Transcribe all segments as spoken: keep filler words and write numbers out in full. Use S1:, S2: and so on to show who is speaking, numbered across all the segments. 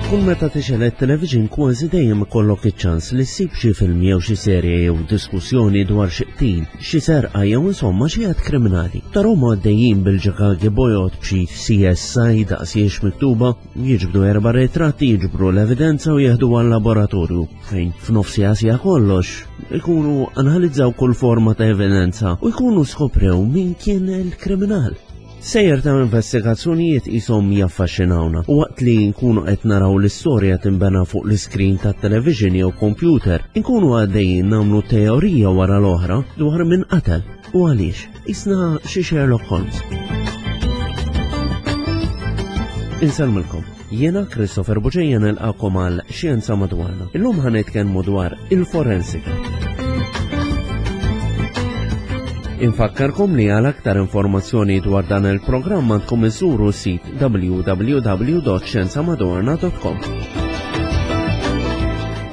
S1: Kull meta tixgħel it-television kważi dejjem ikollok iċ-ċans li ssib xi film jew xi serje jew diskussjoni dwar xi qtil, xi serqa jew insomma xi att kriminali. Tarahom għaddejjin bil-ġakaki bojod b'xi C S I daqsiex miktuba, jiġbdu erba' ritratti, jiġbru l-evidenza u jeħdu għal-laboratorju fejn f'nofs siegħa kollox ikunu analizzaw kull forma ta' evidenza u jkunu skoprew min kien il-kriminal. Sejjer ta' investigazzjonijiet jisom jaffaxxinawna u waqt li nkunu qed naraw l-istorja tinbena fuq l-iskrin tat-television jew computer, nkunu għaddejjin nagħmlu teorija wara l-oħra dwar min qatel u għaliex. Isna xi Sherlock Holmes. Insellmilkom. Jiena Christopher Buġeja nilqakom għal Xjenza Madwarna. Illum ħa nitkellmu dwar il-forensika. Infakkarkom li għal aktar informazzjoni dwar dan il-programm għandkom iżuru sit w w w punt xjenzamadwarna punt com.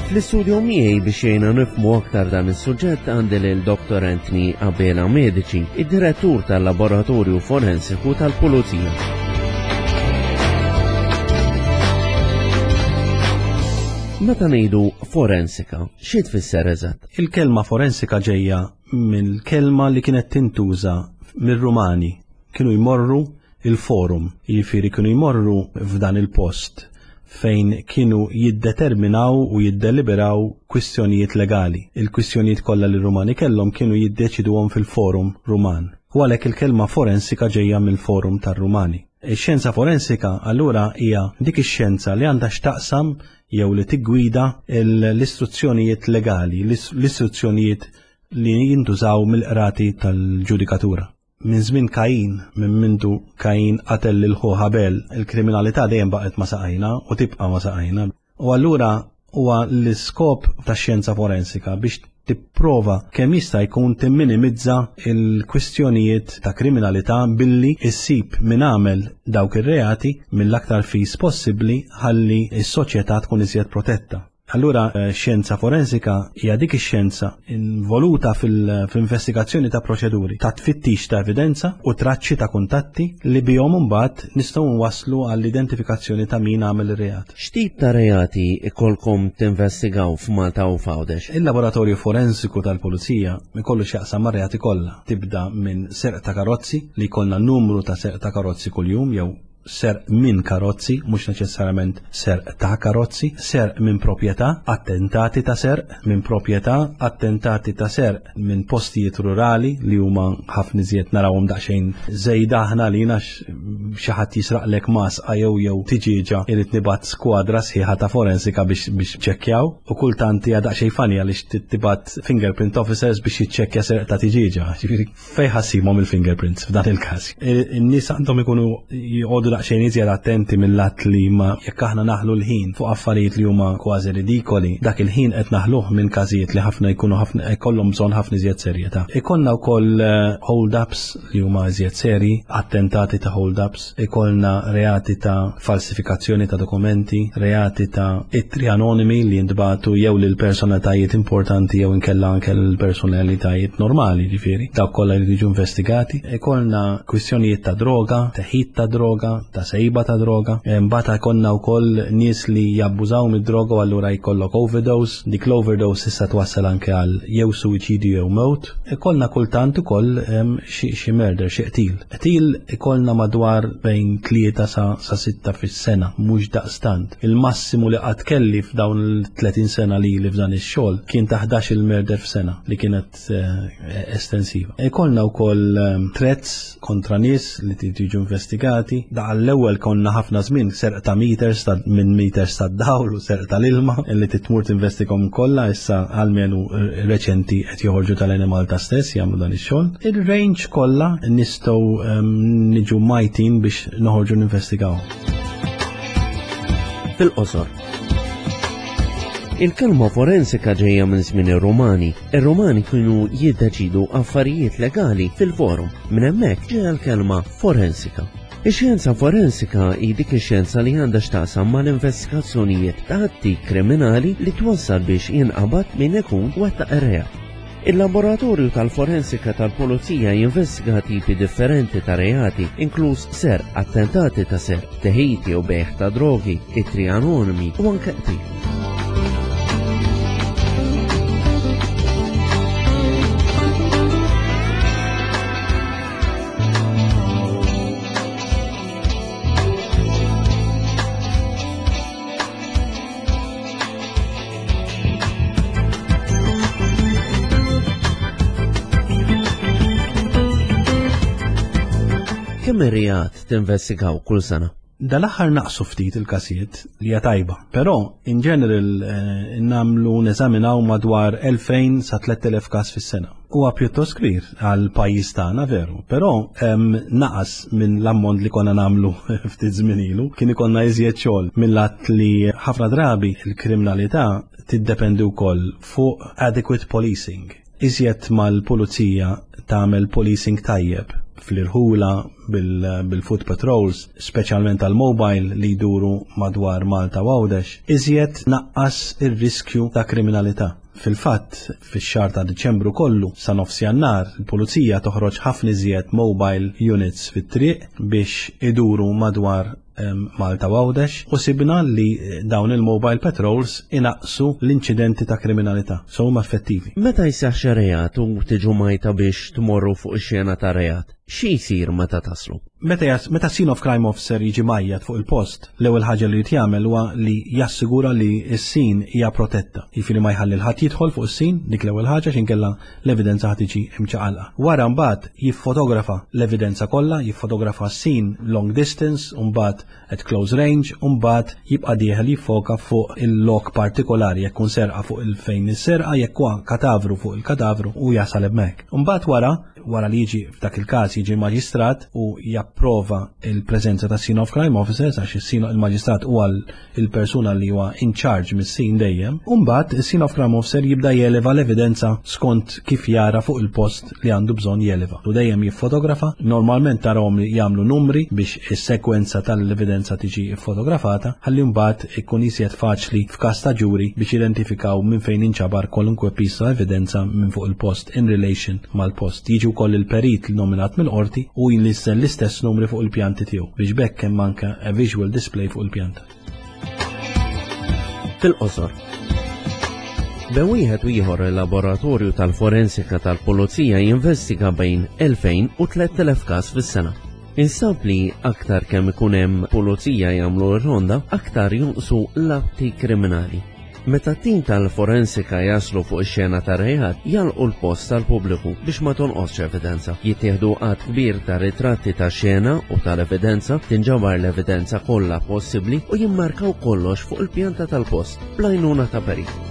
S1: Fl-istudio miegħi biex jgħinna nifhmu aktar dan is-suġġett għandi lil Doktor Anthony Abela Medici, id-direttur tal-Laboratorju Forensiku tal-Pulizija. Meta ngħidu forensika, xi tfisser eżatt?
S2: Il-kelma forensika ġejja mill-kelma li kienet tintuża mir-Rumani. Kienu jmorru il-forum, jiġifieri kienu jmorru f'dan il-post fejn kienu jiddeterminaw u jiddeliberaw kwistjonijiet legali. Il-kwistjonijiet kollha li r-Rumani kellhom kienu jiddeċiduhom fil-forum Ruman. U għalhekk il-kelma forensika ġejja mill-forum tar-Rumani. Ix-xjenza forensika allura hija dik ix-xjenza li għandha x'taqsam jew li tiggwida l-istruzzjonijiet legali, l-istruzzjonijiet li jintużaw mill-qrati tal-ġudikatura. Minn żmien Kain, minn mindu Kain qatel lil ħuh Abel, il-kriminalità dejjem baqgħet ma' saqajna u tibqa' ma' saqajna. U allura huwa l-iskop tax-xjenza forensika biex tipprova kemm jista' jkun timminimizza il-kwistjonijiet ta' kriminalità billi issib min għamel dawk ir-reati mill-aktar fis possibbli ħalli s-soċjetà tkun iżjed protetta. Allura eh, xjenza forensika hija dik ix-xjenza involuta fil-investigazzjoni ta' proċeduri ta' tfittix ta' evidenza u traċċi ta' kuntatti li bihom imbagħad nistgħu nwasslu għall-identifikazzjoni ta' min għamel ir-reat.
S1: X'tip ta' reati ikolkom tinvestigaw f'Malta u f'Għawdex?
S2: Il-laboratorju forensiku tal-Pulizija ikollu x'jaqsam mar-reati kollha. Tibda minn serq ta' karozzi, li jkollna numru ta' serq ta' karozzi kuljum, jew serq minn karozzi, mhux neċessarjament serq ta' karozzi, serq minn proprjetà, attentati ta' serq minn proprjetà, attentati ta' serq minn postijiet rurali li huma ħafna iżjed narawhom daqsxejn żejda aħna li xi ħadd jisraqlek masqa jew jew tiġieġa, irid nibgħat skwadra sħiħa ta' forensika biex biex ċekkjaw u kultant hija daqsxejn funny għaliex tibgħat fingerprint officers biex jiċċekkja serq ta' tiġieġa. Ġifieri fejn ħa ssibhom il-fingerprints f'dan il-każ? In-nies għandhom ikunu jqogħdu daqsxejn iżjed attenti mill-att li ma jekk aħna naħlu l-ħin fuq affarijiet li huma kważi ridikoli, dak il-ħin qed naħluh minn każijiet li ħafna jkunu ħafna jkollhom bżonn ħafna iżjed serjetà. Ikollna wkoll eh, hold-ups li huma iżjed seri, attentati ta' hold-ups, ikollna reati ta' falsifikazzjoni ta' dokumenti, reati ta' ittri anonimi li jintbagħtu jew lil personalitajiet importanti jew inkella anke lil personalitajiet normali, ġifieri, dawk kollha li jiġu investigati. Ikollna kwistjonijiet ta' droga, teħid ta' droga, ta' sejba ta' droga. Mbagħad ikollna wkoll nies li jabbużaw mid-droga u allura jkollok overdose. Dik l-overdose issa twassal anke għal jew suwiċidju jew mewt. Ikollna kultant ukoll em, xi xi murder, xi qtil. Qtil ikollna madwar bejn tlieta sa, sa sitta fis-sena, mhux daqstant. Il-massimu li qatt kelli f'dawn il-tletin sena li li f'dan ix-xogħol kien ta' ħdax il-murder f'sena, li kienet eh, estensiva. Ikollna wkoll em, threats kontra nies li tiġu investigati. Da għall-ewwel konna ħafna żmien serq ta' meters ta' minn meters ta' dawl u serq tal-ilma li titmur tinvestigahom kollha, issa almenu reċenti qed joħorġu tal-Enemalta stess jagħmlu dan ix-xogħol. Il-range kollha nistgħu em, niġu majtin biex noħorġu ninvestigaw.
S1: Fil-qosor. Il-kelma forensika ġejja minn żmien ir-Rumani. Ir-Rumani kienu jiddeċidu affarijiet legali fil-forum. Minn hemmhekk ġejja l-kelma forensika. Ix-xjenza forensika hi dik ix-xjenza li għandha x'taqsam mal-investigazzjonijiet ta' atti kriminali li twassal biex jinqabad min ikun wettaq ir-reat. Il-laboratorju tal-forensika tal-Pulizija jinvestiga tipi differenti ta' reati, inkluż serq, attentati ta' serq, teħid u bejgħ ta' drogi, ittri anonimi u anke qtil. Kemm ir-reat tinvestigaw kull sena?
S2: Dal-aħħar naqsu ftit il-każijiet li hija tajba, però in general eh, nagħmlu neżaminaw madwar elfejn sa tlett elef każ fis-sena. Huwa pjuttost kbir għal pajjiż tagħna veru, però em, naqas minn l-ammont li konna nagħmlu ftit żmien ilu, kien ikollna iżjed xogħol mill-att li ħafna drabi il-kriminalità tiddependi wkoll fuq adequate policing. Iżjed mal-pulizija tagħmel policing tajjeb fl-irħula bil-foot patrols, speċjalment tal-mobile li jduru madwar Malta u Għawdex, iżjed naqqas ir-riskju ta' kriminalità. Fil-fatt, fix-xahar ta' Diċembru kollu sa nofs Jannar, il-pulizija toħroġ ħafna iżjed mobile units fit-triq biex iduru madwar Malta u Għawdex u sibna li dawn il-mobile patrols inaqsu l-inċidenti ta' kriminalità, so huma effettivi.
S1: Meta jseħħ xi reat u tiġu mgħajta biex tmorru fuq ix-xena ta' reat, xi jsir meta taslu?
S2: Meta jas-, meta scene of crime officer jiġi mgħajjat fuq il-post, l-ewwel ħaġa li jrid jagħmel huwa li jassigura li s-scene hija protetta. Jiġifieri ma jħalli l-ħadd jidħol fuq is-scene, dik l-ewwel ħaġa x'inkella l-evidenza ħad tiġi imċaqalqa. Wara mbagħad jiffotografa l-evidenza kollha, jiffotografa s-scene long distance, u mbagħad at close range, u mbagħad jibqa' dieħel jiffoka fuq il-lok partikolari, jekk kun serqa fuq il-fejn is-serqa, jekk huwa katavru fuq il-katavru u jasal hemmhekk. Mbagħad wara, wara li jiġi f'dak il-każ jiġi maġistrat u japprova il-preżenza ta' scene of crime officers, għax is-scene il-maġistrat huwa il-persuna li huwa in charge mis-scene dejjem, u mbagħad is-scene of crime officer jibda jeleva l-evidenza skont kif jara fuq il-post li għandu bżonn jeleva. U dejjem jiffotografa, normalment tarahom jagħmlu numri biex is-sekwenza tal-evidenza tiġi fotografata, ħalli mbagħad ikun iżjed faċli f'każ ta' ġuri biex identifikaw minn fejn inċabar kwalunkwe piece ta' evidenza minn fuq il-post in relation mal-post. Jiġi wkoll il-perit li nominat mill-qorti u jinlisten l-istess numri fuq il-pjanti tiegħu biex b'hekk hemm anke a visual display fuq il-pjanta.
S1: Fil-qosor. Bejn wieħed u ieħor il-laboratorju tal-forensika tal-Pulizija jinvestiga bejn elfejn u tlett elef każ fis-sena. Insab li aktar kemm ikun hemm pulizija jagħmlu r-ronda, aktar jonqsu l-atti kriminali. Meta t-tim tal-forensika jaslu fuq ix-xena ta' reat, jalqu l-post tal-pubbliku biex ma tonqosx evidenza. Jittieħdu għadd kbir ta' ritratti ta' xena u tal-evidenza, tinġabar l-evidenza kollha possibbli u jimmarkaw kollox fuq il-pjanta tal-post bl-għajnuna ta' perit.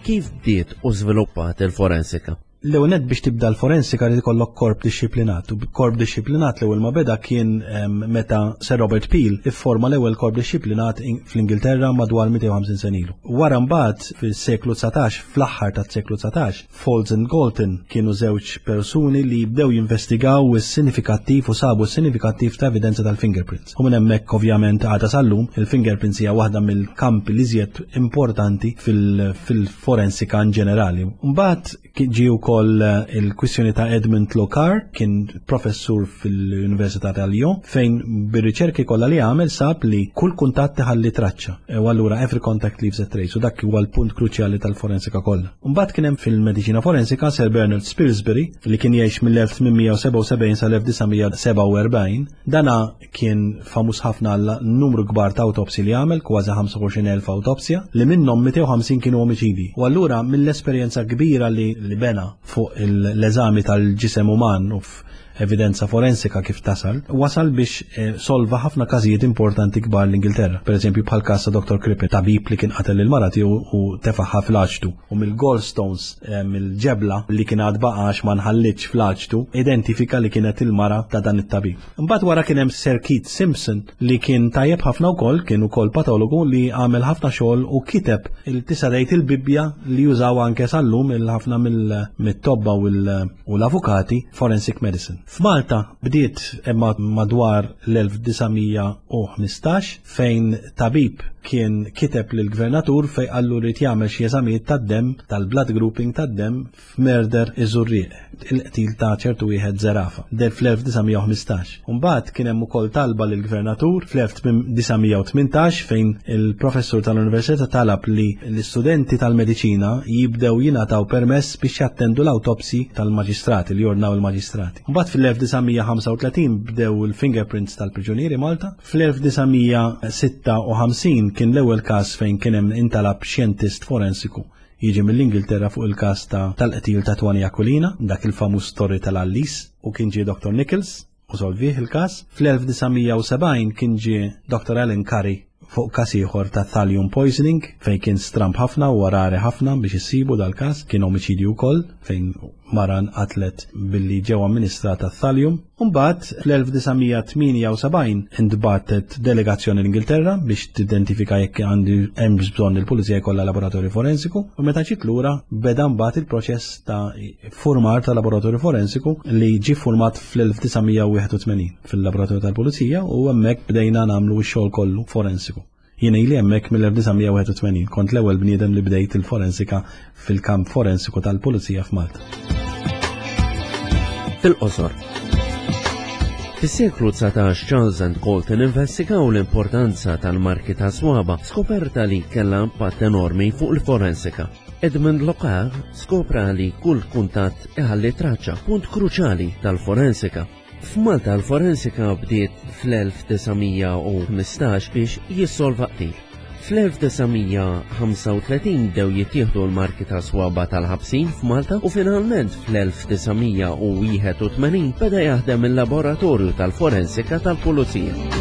S1: Kif bdiet u żviluppat il-forensika?
S2: L-ewwel nett biex tibda l-forensika li jkollok korp dixxiplinat. U korp dixxiplinat l-ewwel ma beda kien, em, meta Sir Robert Peel ifforma l-ewwel korp dixxiplinat in-, fl-Ingilterra madwar mitejn u ħamsin sena ilu. Wara mbagħad fis-seklu dsatax, fl-aħħar tas-seklu dsatax, Faulds and Galton kienu żewġ persuni li bdew jinvestigaw is-sinifikattiv u sabu s-sinifikattiv ta' evidenza tal-fingerprints. U minn hemmhekk ovvjament għadha sal-lum il-fingerprints hija waħda mill-kampi li iżjed importanti fil-, fil-forensika in ġenerali. Mbagħad ġie wkoll il-kwistjoni ta' Edmond Locard, kien professur fil-Università ta' Lyon, fejn bir-riċerki kollha li għamel sab li kull kuntatt iħalli traċċa. U allura every contact leaves a trace, u dak huwa l-punt kruċjali tal-forensika kollha. Mbagħad kien hemm fil-mediċina forensika Sir Bernard Spilsbury, li kien jgħix mill-elf tmien mija u sebgħa u sebgħin sal-elf disa' mija u sebgħa u erbgħin. Dana kien famuż ħafna għal numru kbar ta' autopsi li għamel, kważi ħamsa u għoxrin elf autopsja, li minnhom mitejn u ħamsin kienu omiċidi. U allura mill-esperjenza kbira li, li bena fuq il-, l-eżami tal-ġisem uman u f-, evidenza forensika kif tasal, wasal biex eh, solva ħafna każijiet importanti kbar l-Ingilterra. Per eżempju bħal każ ta' Doctor Crippen, tabib li kien qatel il-mara tiegħu u tefaħħa fl-aċtu u mill-gallstones, eh, mill-ġebla li kien għad baqax ma nħallitx fl-aċtu, identifika li kienet il-mara ta' dan it-tabib. Imbagħad wara kien hemm Sir Keith Simpson li kien tajjeb ħafna wkoll, kien ukoll patologu li għamel ħafna xogħol u kiteb il-tisa' tgħid il-Bibbja li jużaw anke sal-lum il-ħafna mill-tobba u l-avukati forensic medicine. F'Malta bdiet imma madwar l-elf disa' mija u ħmistax fejn tabib kien kiteb lill-gvernatur fejn qallu rrid jagħmel xi eżamijiet tad-demm, tal-blood grouping tad-demm f'murder iż-Żurrieq, il-qtil ta' ċertu wieħed Zerafa, del fl-elf disa' mija u ħmistax. Imbagħad kien hemm ukoll talba lill-gvernatur fl-elf disa' mija u tmintax fejn il-professur tal-università talab li l-istudenti tal-mediċina jibdew jingħataw permess biex jattendu l-awtopsi tal-maġistrati li jordnaw il-maġistrati. Imbagħad fil-elf disa' mija ħamsa u tletin bdew il-fingerprints tal-priġunieri Malta. Fl-elf disa' mija sitta u ħamsin kien l-ewwel każ fejn kien hemm intalab xjentist forensiku jiġi mill-Ingilterra fuq il-każ ta' tal-qtil ta' Tony Aquilina, dak il-famuż story tal-Għallis, u kien ġie Doctor Nichols u solvih il-każ. Fl-elf disa' mija u sebgħin kien ġie Doctor Alan Curry fuq każ ieħor ta' thallium poisoning fejn kien stramb ħafna u rari ħafna biex issibu dal-każ, kien omiċidju wkoll fejn mara nqatlet billi ġew amministrata thallium. Imbagħad fl-elf disa' mija tmienja u sebgħin intbagħtet delegazzjoni l-Ingilterra biex tidentifika jekk għandu hemm bżonn il-pulizija jkollha laboratorju forensiku, u meta ġiet lura beda mbagħad il-proċess ta' formar ta' laboratorju forensiku li ġie format fl-elf disa' mija u wieħed u tmenin fil-laboratorju tal-pulizija, u hemmhekk bdejna nagħmlu x-xogħol kollu forensiku. Jien ili hemmhekk mill-elf disa' mija u wieħed u tmenin, kont l-ewwel bniedem li bdejt il-forensika fil-kamp forensiku tal-pulizija f'Malta.
S1: Fil-qosor. Fis-seklu dsatax Charles and Colton investigaw l-importanza tal-marki ta' swaba, skoperta li kellha impatt enormi fuq il-forensika. Edmund Locard skopra li kull kuntatt iħalli traċċa, punt kruċjali tal-forensika. F'Malta l-forensika bdiet fl-elf disa' mija u ħmistax biex jissolva qtil. Fl-elf disa' mija ħamsa u tletin bdew jittieħdu l-marki ta' swaba tal-ħabsin f'Malta u finalment fl-elf disa' mija u wieħed u tmenin beda jaħdem il-laboratorju tal-forensika tal-Pulizija.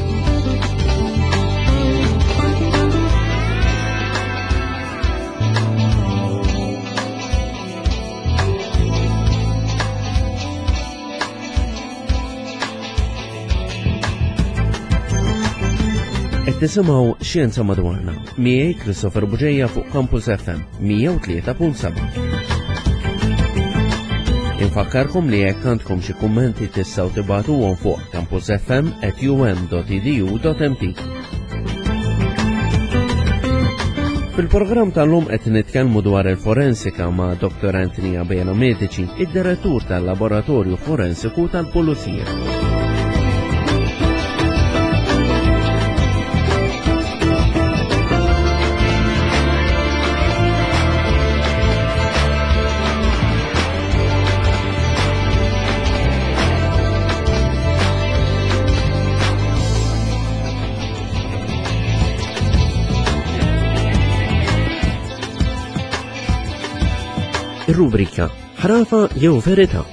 S1: Tisimgħu Xjenza Madwarna miegħi Christopher Bugeja fuq Campus F M mija u tlieta punt seba'. Infakkarkom li jekk għandkom xi kummenti tistgħu tibagħtuhom fuq campus f m at u m dot e d u dot m t. Fil-programm tal-lum qed nitkellmu dwar il-forensika ma' Doctor Anthony Abela Medici, id-direttur tal-Laboratorju Forensiku tal-Pulizija. Ir-rubrika Ħrafa jew Verità.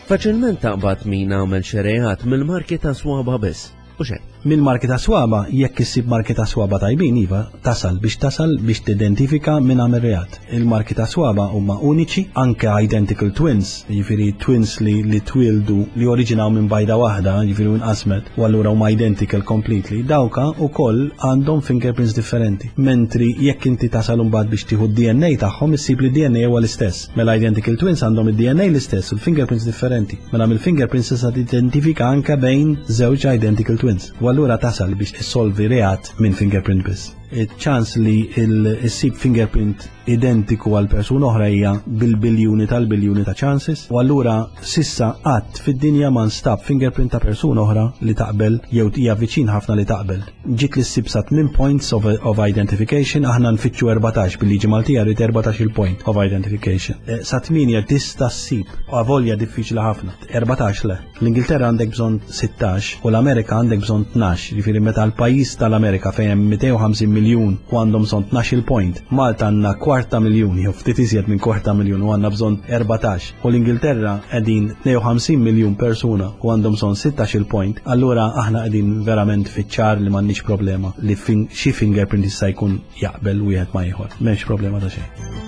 S1: Faċilment taqbad min għamel xi reat mill-marki ta' swaba biss. U xejn.
S2: Mill-marki ta' swaba, jekk issib marki ta' swaba tajbin, iva, tasal biex tasal biex tidentifika min għamel reat. Il-marki ta' swaba huma uniċi, anke identical twins, jiġifieri twins li, li twildu li oriġinaw minn bajda waħda, jiġifieri inqasmet, u allura huma identical completely, dawka wkoll għandhom fingerprints differenti. Mentri jekk inti tasal imbagħad biex tieħu d-D N A tagħhom, issib li d-D N A huwa l-istess. Mela identical twins għandhom id-D N A l-istess u l-fingerprints differenti. Mela mill-fingerprints tista' tidentifika anke bejn żewġ identical twins. U allura tasal biex issolvi reat minn fingerprint biss. Iċ-ċans li il-issib fingerprint identiku għal persuna oħra hija bil-biljuni tal-biljuni ta' chances, u allura sissa qatt fid-dinja ma nstab fingerprint ta' persuna oħra li taqbel jew hija viċin ħafna li taqbel. Ġiet li ssib sa tmien points of, of identification, aħna nfittxu erbatax bil-liġi Maltija rrid erbatax il-point of identification. Eh, sa tmienja tista' ssib, u avolja diffiċli ħafna, erbatax le. L-Ingilterra għandek bżonn sittax u l-Amerika għandek bżonn tnax, jiġifieri meta l-pajjiż tal-Amerika fejn hemm mitejn u ħamsin miljun miljun u għandhom bżonn tnax-il point. Malta għandna kwarta miljun, jew ftit iżjed minn kwarta miljun u għandna bżonn erbatax. U l-Ingilterra qegħdin tnejn u ħamsin miljun persuna u għandhom bżonn sittax-il point. Allura aħna qegħdin verament fiċ-ċar li m'għandniex problema li fin-, xi fingerprint jista' jkun jaqbel wieħed ma' ieħor. M'hemmx problema ta' xejn.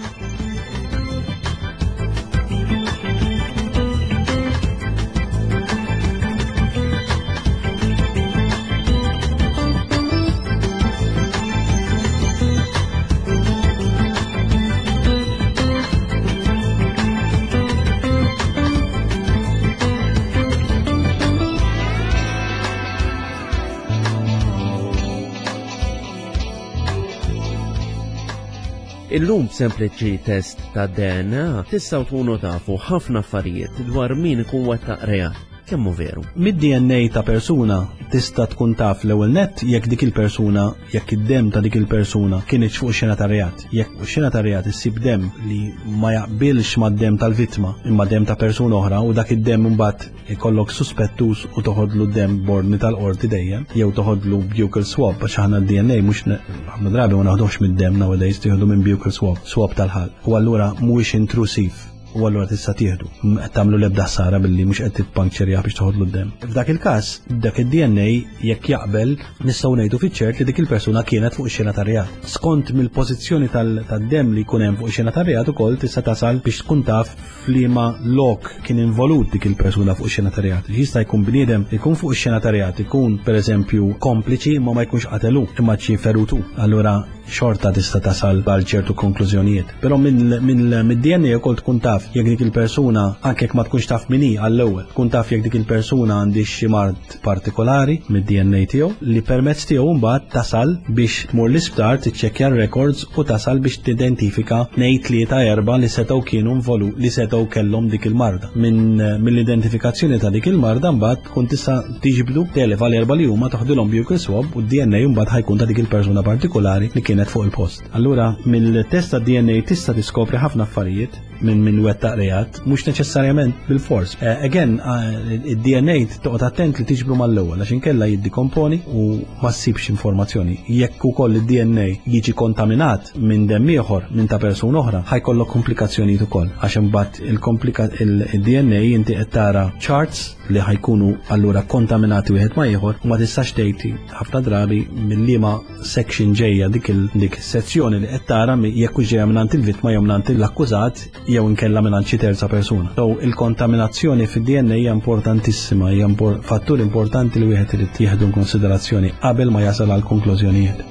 S1: Illum b'sempliċi test ta' D N A tistgħu tkunu tafu ħafna affarijiet dwar min ikun wettaq reat. Kemm hu veru?
S2: Mid-D N A ta' persuna tista' tkun taf l-ewwel nett jekk dik il-persuna, jekk id-demm ta' dik il-persuna kienx fuq xena ta' reat. Jekk fuq xena ta' reat issib demm li ma jaqbilx mad-demm tal-vittma imma demm ta' persuna oħra u dak id-demm imbagħad ikollok suspettus u toħodlu demm b'ordni tal-qorti dejjem, jew toħodlu buccal swab, għax aħna d-D N A mhux ne-, ħafna drabi ma naħduhx mid-demm nowadays, tieħdu minn buccal swab, swab tal-ħalq. U allura mhuwiex intrusiv. U allura tista' tieħdu. M-, qed tagħmlu l-ebda ħsara billi mhux qed titpuncturjah biex toħodlu d-demm. F'dak il-każ, dak id-D N A jekk jaqbel nistgħu ngħidu fiċ-ċert li dik il-persuna kienet fuq ix-xena tar-reat. Skont mill-pożizzjoni tal-, tad-demm li jkun hemm fuq ix-xena tar-reat ukoll tista' tasal biex tkun taf f'liema lok kien involut dik il-persuna fuq ix-xena tar-reat. Jista' jkun bniedem ikun fuq ix-xena tar-reat, ikun pereżempju kompliċi ma ma jkunx qatelu imma xi ferutu. Allura xorta tista' tasal għal ċertu konklużjonijiet. Però minn, minn, mid-D N A wkoll tkun taf jekk dik il-persuna, anke jekk ma tkunx taf min hi għall-ewwel, tkun taf jekk dik il-persuna għandix xi mard partikolari mid-D N A tiegħu li permezz tiegħu mbagħad tasal biex tmur l-isptar tiċċekkja r-records u tasal biex tidentifika tnejn tlieta erba' li setgħu kienu involu, li setgħu kellhom dik il-marda. Minn, mill-identifikazzjoni ta' dik il-marda mbagħad tkun tista' tiġbdu telef għal erba' li huma toħdilhom buccal swab u d-D N A mbagħad ħajkun ta' dik il-persuna partikolari li kienet fuq il-post. Allura mill-test ta' D N A tista' tiskopri ħafna affarijiet minn min wettaq reat, mhux neċessarjament bil-fors. Eh, again, eh, id-D N A toqgħod attent li tiġbru mal-ewwel għax inkella jiddikomponi u ma ssibx informazzjoni. Jekk ukoll id-D N A jiġi kontaminat minn demm ieħor minn ta' persuna oħra, ħajkollok komplikazzjonijiet ukoll għax imbagħad il-komplika-, il-, il-D N A inti qed tara charts li ħajkunu allura kontaminati wieħed ma' ieħor u ma tistax tgħid ħafna drabi mill-liema section ġejja dik il-, dik is-sezzjoni li qed tara mi-, jekk hux ġejja mingħand il-vittma jew mingħand l-akkużat jew inkella mingħand xi terza persuna. So il-kontaminazzjoni fid-D N A hija importantissima, hija impor-, fattur importanti li wieħed irid jieħdu konsiderazzjoni qabel ma jasal għal konklużjonijiet.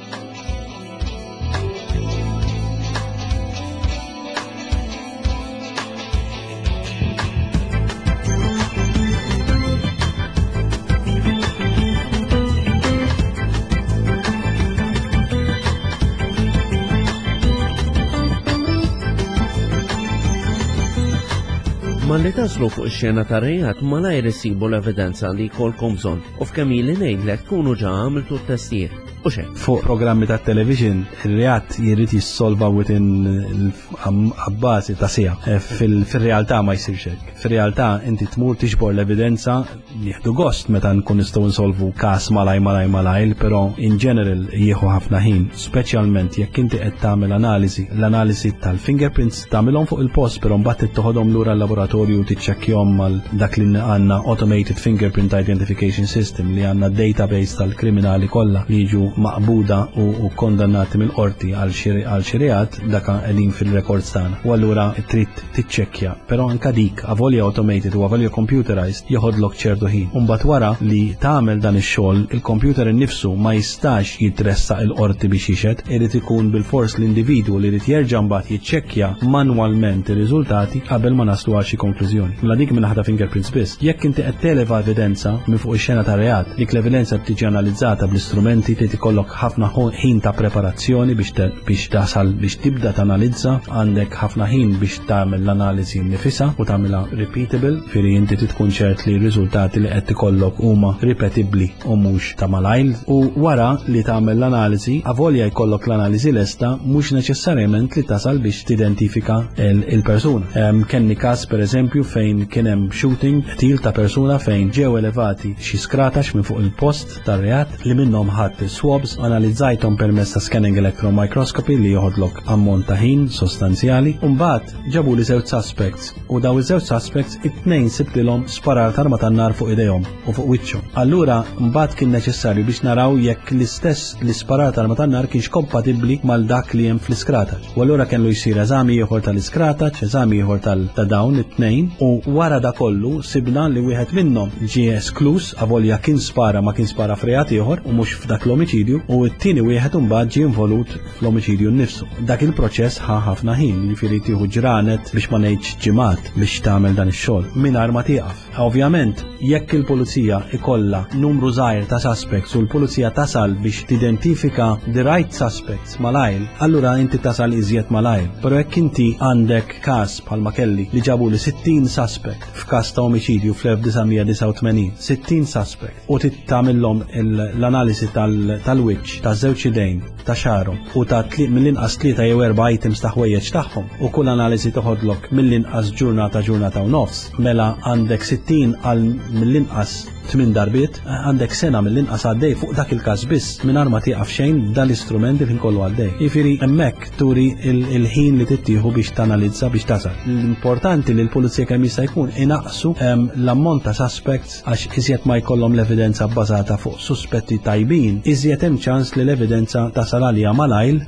S1: Malli taslu fuq ix-xena ta' reat malajr isibu l-evidenza li jkollkom bżonn u f'kemm ili ngħidlek tkunu ġa għamiltu t-testijiet. U xejn.
S2: Fuq programmi ta' television, ir-reat jrid jissolva within abbażi ta' siegħa. Eh, fil-, fil-realtà ma jsirx hekk. Fil-realtà inti tmur tiġbor l-evidenza, nieħdu gost meta nkun nistgħu nsolvu każ malaj malaj malaj, però in general jieħu ħafna ħin, speċjalment jekk inti qed tagħmel analiżi. L-analiżi tal-fingerprints tagħmilhom fuq il-post, però mbagħad toħodhom lura l-laboratorju u tiċċekkjahom mal dak li għandna automated fingerprint identification system li għandna database tal-kriminali kollha li jiġu maqbuda u, u kondannati mill-qorti għal xi, għal xi reat, dak qegħdin fil-records tagħna. U allura trid tiċċekkja, però anka dik avolja automated u avolja computerized joħodlok ċertu ħin. U mbagħad wara li tagħmel dan ix-xogħol, il-computer innifsu ma jistax jitressaq il-qorti biex jixhed, irid ikun bil-fors l-individwu li jrid jerġa' mbagħad jiċċekkja manwalment ir-riżultati qabel ma naslu għal xi konklużjoni. Mela dik minn ħadha fingerprints biss. Jekk inti qed televa evidenza minn fuq ix-xena ta' reat, dik l-evidenza tiġi analizzata bl-istrumenti, trid ikollok ħafna ħo-, ħin ta' preparazzjoni biex te-, biex tasal biex tibda tanalizza, għandek ħafna ħin biex tagħmel l-analiżi nnifisha u tagħmilha repeatable, firri inti trid tkun ċert li r-riżultati li qed ikollok huma ripetibbli u mhux ta' malajr. U wara li tagħmel l-analiżi, avolja jkollok l-analiżi lesta, mhux neċessarjament li tasal biex tidentifika il-, il-persuna. Em, kenni każ pereżempju fejn kien hemm shooting, qtil ta' persuna fejn ġew elevati xi skratax minn fuq il-post tar-reat li minnhom ħadd swab swabs, analizzajthom permezz ta' scanning electron microscopy li joħodlok ammont ta' ħin sostanzjali. U mbagħad ġabu li żewġ suspects u daw iż-żewġ suspects it-tnejn sibtilhom sparar ta' arma tan-nar fuq idejhom u fuq wiċċhom. Allura mbagħad kien neċessarju biex naraw jekk l-istess l-isparar ta' arma tan-nar kienx kompatibbli mal dak li hemm fl-iskrataċ. U allura kellu jsir eżami ieħor tal-iskrataċ, eżami ieħor ta' dawn it-tnejn u wara da kollu sibna li wieħed minnhom ġie esklus avolja kien spara ma kien spara f'reat ieħor u mhux f'dak l-omiċidju u t-tieni wieħed imbagħad ġie involut fl-omiċidju nnifsu. Dak il-proċess ħa ħafna ħin, jiġifieri tieħu ġranet biex ma ngħidx ġimgħat biex tagħmel dan ix-xogħol mingħajr ma tieqaf. Ovvjament, jekk il-pulizija ikollha numru żgħir ta' suspects u l-pulizija tasal biex tidentifika the right suspects malajr, allura inti tasal iżjed malajr. Però jekk inti għandek każ bħalma kelli li ġabu li sittin suspect f'każ ta' omiċidju fl-elf disa' mija disgħa u tmenin, sittin suspect, u tagħmilhom l-analisi tal-wiċċ, ta' żewġ idejn, ta' xagħarhom u ta' mill-inqas tlieta jew erba' items ta' ħwejjeġ tagħhom, u kull analiżi toħodlok mill-inqas ġurnata ġurnata u nofs, mela għandek sittin għal mill-inqas tmien darbiet, għandek sena mill-inqas għaddej fuq dak il-każ biss mingħajr ma tieqaf xejn dan l-istrument li kollu għaddej. Jiġifieri hemmhekk turi il-ħin li tittieħu biex tanalizza biex tasal. L-importanti li l-pulizija kemm jista' jkun inaqsu l-ammont ta' suspects għax iżjed ma jkollhom l-evidenza bbażata fuq suspetti tajbin, iżjed hemm ċans li l-evidenza tasal għalija malajr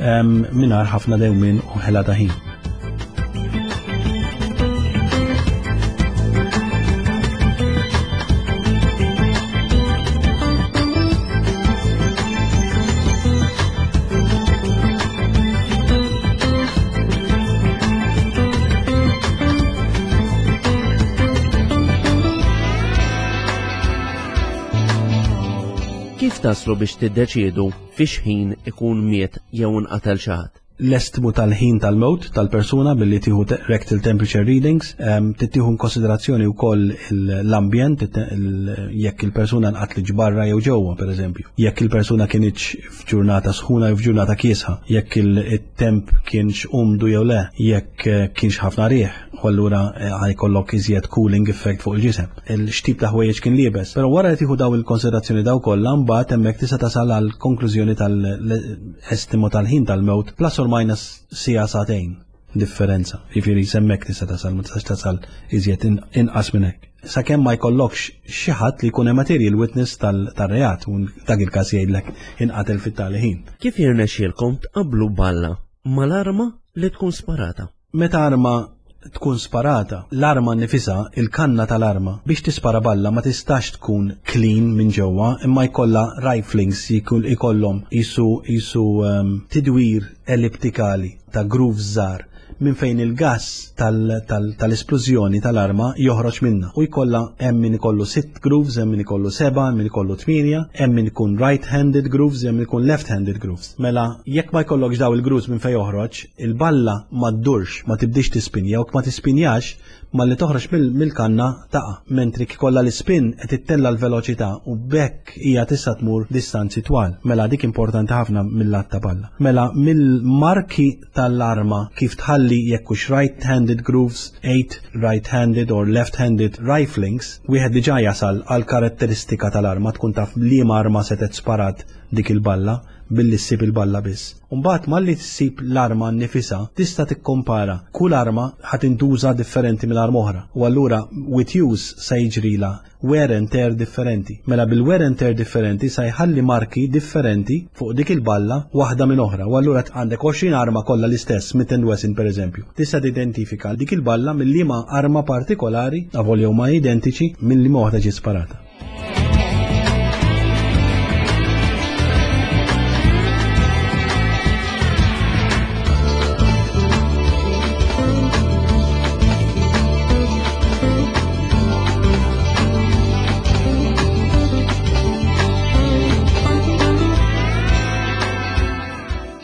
S2: mingħajr ħafna dewmien u ħela ta' ħin.
S1: Kif taslu biex tiddeċiedu fiex ħin ikun miet jew inqatel xi ħadd?
S2: L-estmu tal-ħin tal-mewt tal-persuna billi tieħu rectal temperature readings, tittieħu konsiderazzjoni wkoll l-ambjent, jekk il-persuna nqatlet barra jew ġewwa pereżempju, jekk il-persuna kienx f'ġurnata sħuna jew f'ġurnata kiesħa, jekk il-temp kienx umdu jew le, jekk kienx ħafna riħ, u allura ħajkollok iżjed cooling effect fuq il-ġisem. Il-xtib ta' ħwejjeġ kien liebes. Però wara li tieħu daw il-konsiderazzjoni daw kollha, mbagħad hemmhekk tista' tasal għal konklużjoni tal-estimo tal-ħin tal-mewt plus or minus sija sagħtejn differenza. Jiġifieri semmek tista' tasal, ma tistax tasal iżjed inqas minn hekk. Sakemm ma jkollokx xi ħadd li jkun material witness tar-reat u dak il-każ jgħidlek inqatel fit-tali ħin.
S1: Kif jirnexxielkom tqabblu balla mal-arma li tkun sparata?
S2: Meta arma tkun sparata, l-arma nifisha, il-kanna tal-arma, biex tispara balla ma tistax tkun clean minn ġewwa, imma jkollha riflings ikollhom jisu, jisu, um, tidwir elliptikali ta' grooves żgħar minn fejn il-gas tal-esplużjoni tal-arma joħroġ minna. U jkollha hemm min ikollu sitt grooves, hemm min ikollu seba', hemm min ikollu tmienja, hemm min ikun right-handed grooves, hemm min ikun left-handed grooves. Mela jekk ma jkollokx daw il-grooves minn fejn joħroġ, il-balla ma ddurx, ma tibdix tispinja, u ma tispinjax malli toħroġ mill-kanna taqa', mentri kikolla l-ispin qed ittella l-veloċità u bekk hija tista' tmur distanzi twal. Mela dik importanti ħafna mill-lat ta' balla. Mela mill-marki tal-arma kif tħalli jekk hux right-handed grooves, eight right-handed or left-handed riflings, wieħed diġà jasal għal karatteristika tal-arma, tkun taf liema arma setgħet sparat dik il-balla billi ssib il-balla biss. Mbagħad malli ssib l-arma nnifisha tista' tikkompara kull arma ħa tintuża differenti mill-arma oħra. U allura with use se jiġrila wear and tear differenti. Mela bil-wear and tear differenti se jħalli marki differenti fuq dik il-balla waħda minn oħra. U allura għandek għoxrin arma kollha l-istess, Smith and Wesson pereżempju. Tista' tidentifika dik il-balla minn liema arma partikolari, avolja huma identiċi, minn liema waħda ġiet sparata.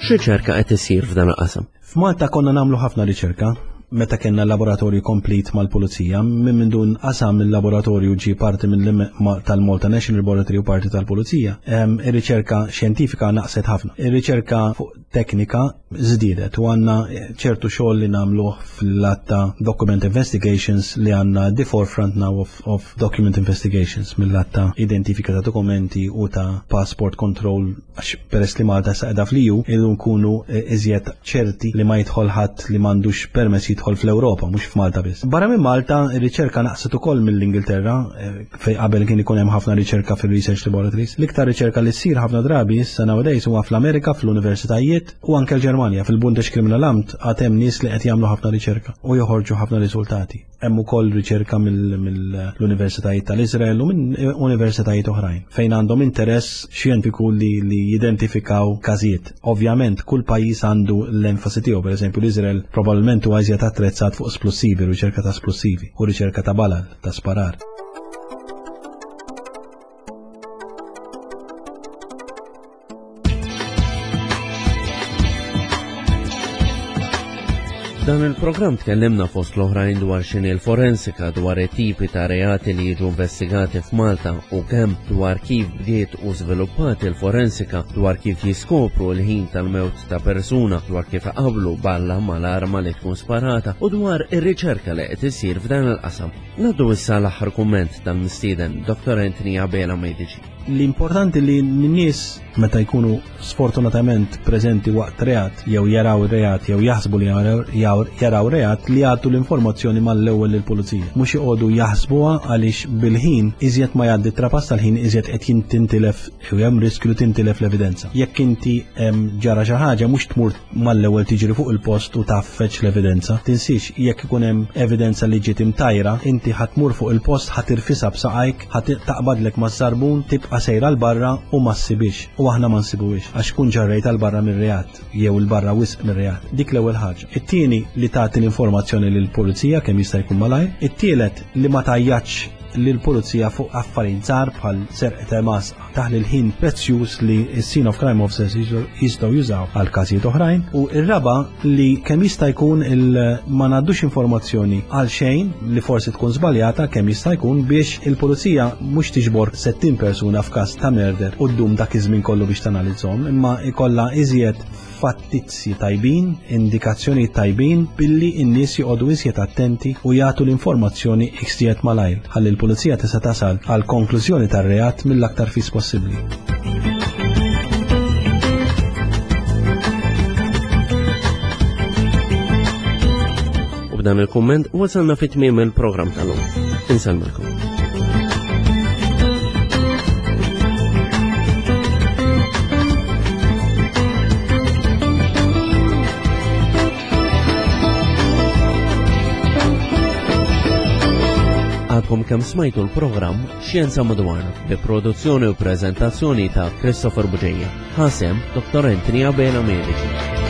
S1: X'riċerka qed isir f'dan il-qasam?
S2: F'Malta konna nagħmlu ħafna riċerka meta kellna laboratorju komplet mal-pulizija, minn minn dun qasam il-laboratorju ġi parti minn tal-Malta National Laboratory u parti tal-pulizija. Ir-riċerka xjentifika naqset ħafna. Ir-riċerka fuq teknika żdiedet u għandna ċertu xogħol li nagħmluh fil-lat ta' document investigations li għandna the forefront now of, of document investigations mill-lat ta' identifika ta' dokumenti u ta' passport control, għax peress li Malta sa qiegħda fl-E U irridu nkunu iżjed ċerti li ma jidħol ħadd li m'għandux permess jidħol fl-Ewropa, mhux f'Malta biss. Barra minn Malta, ir-riċerka naqset ukoll mill-Ingilterra, fej qabel kien ikun hemm ħafna riċerka fil-research laboratories. L-iktar riċerka li ssir ħafna drabi issa nowadays huwa fl-Amerika, fl-universitajiet u anke l-Ġermanja. Fil-Bundeskriminalamt għad hemm nies li qed jagħmlu ħafna riċerka u joħorġu ħafna riżultati. Hemm ukoll riċerka mill-universitajiet tal-Iżrael u minn universitajiet oħrajn fejn għandhom interess xjentifiku li, li jidentifikaw każijiet. Ovvjament kull pajjiż għandu l-enfasi tiegħu, pereżempju l-Iżrael probabbilment huwa iżjed attrezzat fuq splussivi, riċerka ta' splussivi u riċerka ta' balal, ta' sparar.
S1: Dan il-programm tkellimna fost l-oħrajn dwar x'inhi l-forensika, dwar it-tipi ta' reati li jiġu investigati f'Malta u kemm dwar kif bdiet u żviluppat il-forensika, dwar kif jiskopru l-ħin tal-mewt ta' persuna, dwar kif qablu balla mal-arma li tkun sparata u dwar ir-riċerka li qed isir f'dan il-qasam. Ngħaddu issa l-aħħar kumment tal-mistieden Doctor Anthony Abela Medici.
S2: L-importanti li n-nies meta jkunu sfortunatament preżenti waqt reat jew jaraw reat jew jaħsbu li jaraw reat li jagħtu l-informazzjoni mal-ewwel lill-pulizija. Mhux joqogħdu jaħsbuha għaliex bil-ħin iżjed ma jgħaddi trapass tal-ħin iżjed qed tintilef jew hemm riskju li tintilef l-evidenza. Jekk inti ġara xi ħaġa mhux tmur mal-ewwel tiġri fuq il-post u taffeċ l-evidenza. Tinsiex jekk ikun hemm evidenza li ġiet imtajra, inti ħatmur fuq il-post, ħatirfisha b'saqajk, ħat taqbadlek maż-żarbun, tibqa' sejra l barra u ma ssibix u aħna ma nsibuhiex għax kun ġarrejt għal barra mir-reat jew il barra wisq mir-reat. Dik l-ewwel ħaġa. It-tieni li tagħti l-informazzjoni lill-pulizija kemm jista' jkun malajr. It-tielet li ma tgħajjatx lill-pulizija fuq affarijiet żgħar bħal serq ta' masqa taħli l-ħin prezzjuż li s-scene of crime officers jistgħu jużaw għal każijiet oħrajn. U r-raba li kemm jista' jkun ma ngħaddux informazzjoni għal xejn li forsi tkun żbaljata kemm jista' jkun biex il-pulizija mhux tiġbor sittin persuna f'każ ta' murder u ddum dak iż-żmien kollu biex tanalizzhom, imma ikollha iżjed fattizzi tajbin, indikazzjoni tajbin billi n-nies joqogħdu iżjed attenti u jagħtu l-informazzjoni iżjed malajr ħalli l-pulizija tista' tasal għal konklużjoni tar-reat mill-aktar fis possibbli.
S1: U b'dan il-kumment wasalna fi tmiem il-programm tal-lum. Insellmilkom. Għadkom kemm smajtu l-programm Xjenza Madwarna bi produzzjoni u preżentazzjoni ta' Christopher Bugeja. Ħasem Doctor Anthony Abela Medici.